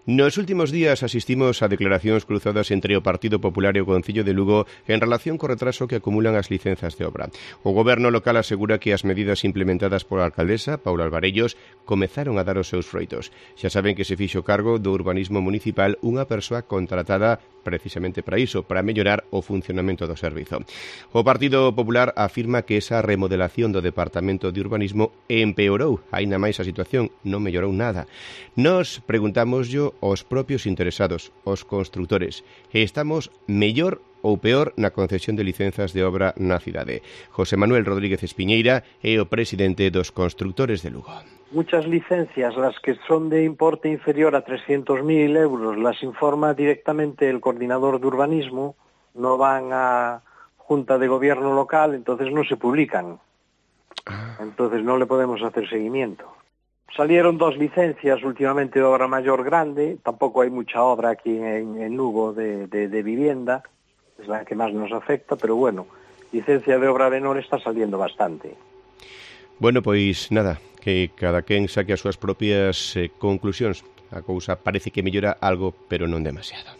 Nos últimos días asistimos a declaracións cruzadas entre o Partido Popular e o Concello de Lugo en relación co retraso que acumulan as licenzas de obra. O goberno local asegura que as medidas implementadas pola alcaldesa, Paula Alvarellos, comezaron a dar os seus froitos. Xa saben que se fixo cargo do urbanismo municipal unha persoa contratada precisamente para iso, para mellorar o funcionamento do servizo. O Partido Popular afirma que esa remodelación do Departamento de Urbanismo empeorou aínda máis a situación, non mellorou nada. Nos preguntámoslle aos propios interesados, os construtores, estamos mellor ou peor na concesión de licenzas de obra na cidade. José Manuel Rodríguez Espiñeira é o presidente dos constructores de Lugo. Muchas licencias, las que son de importe inferior a 300.000 euros, las informa directamente el coordinador de urbanismo, no van a Junta de Gobierno local, entonces no se publican. Entonces no le podemos hacer seguimiento. Salieron 2 licencias últimamente de obra mayor grande, tampoco hay mucha obra aquí en Lugo de vivienda, es la que más nos afecta, pero bueno, licencia de obra menor está saliendo bastante. Bueno, pois nada, que cada quen saque as súas propias conclusións. A cousa parece que mellora algo, pero non demasiado.